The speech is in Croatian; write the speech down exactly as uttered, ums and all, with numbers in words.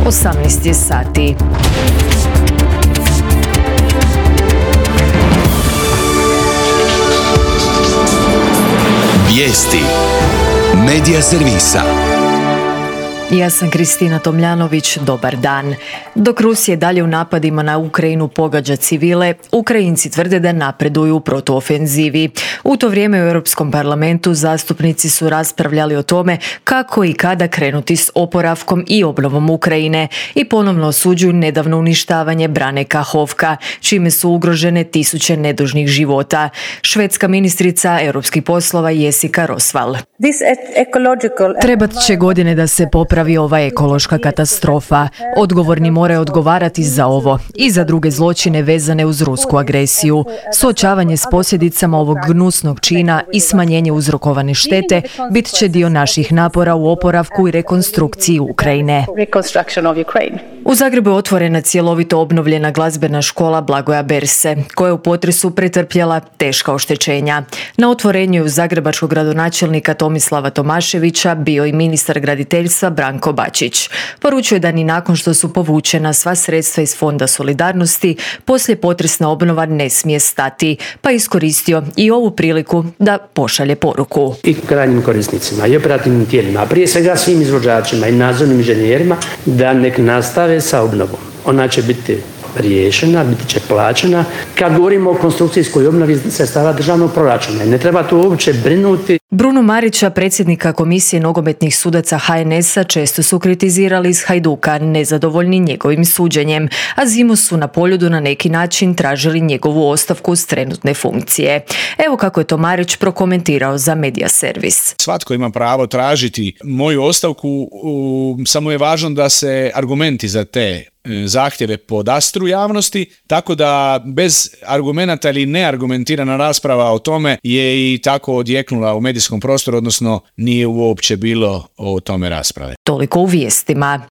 osamnaest je sati. Vijesti Medija servisa. Ja sam Kristina Tomljanović, dobar dan. Dok Rusija dalje u napadima na Ukrajinu pogađa civile, Ukrajinci tvrde da napreduju u protuofenzivi. U to vrijeme u Europskom parlamentu zastupnici su raspravljali o tome kako i kada krenuti s oporavkom i obnovom Ukrajine i ponovno osuđuju nedavno uništavanje brane Kahovka, čime su ugrožene tisuće nedužnih života. Švedska ministrica europskih poslova Jessica Rosvall. Trebat će godine da se popravi ova ekološka katastrofa. Odgovorni moraju odgovarati za ovo i za druge zločine vezane uz rusku agresiju. Suočavanje s posljedicama ovog gnusnog čina i smanjenje uzrokovane štete bit će dio naših napora u oporavku i rekonstrukciji Ukrajine. U Zagrebu je otvorena cjelovito obnovljena glazbena škola Blagoja Berse, koja je u potresu pretrpjela teška oštećenja. Na otvorenju je uz zagrebačkog gradonačelnika Tomislava Tomaševića bio i ministar graditeljstva Branko Bačić. Poručuje da ni nakon što su povučena sva sredstva iz Fonda solidarnosti, poslije potresna obnova ne smije stati, pa iskoristio i ovu priliku da pošalje poruku. I krajnjim korisnicima i operativnim tijelima, a prije svega svim izvođačima i nadzornim inženjerima, da nek nastave sa obnovom. Ona će biti riješena, biti će plaćena. Kad govorimo o konstrukcijskoj obnovi sredstava državnog proračuna, ne treba tu uopće brinuti. Bruno Marića, predsjednika Komisije nogometnih sudaca H N S-a, često su kritizirali iz Hajduka, nezadovoljni njegovim suđenjem, a zimu su na Poljudu na neki način tražili njegovu ostavku s trenutne funkcije. Evo kako je to Marić prokomentirao za Medija servis. Svatko ima pravo tražiti moju ostavku, samo je važno da se argumenti za te zahtjeve podastru javnosti, tako da bez argumenata ili neargumentirana rasprava o tome je i tako odjeknula u medijskom prostoru, odnosno nije uopće bilo o tome rasprave. Toliko u vijestima.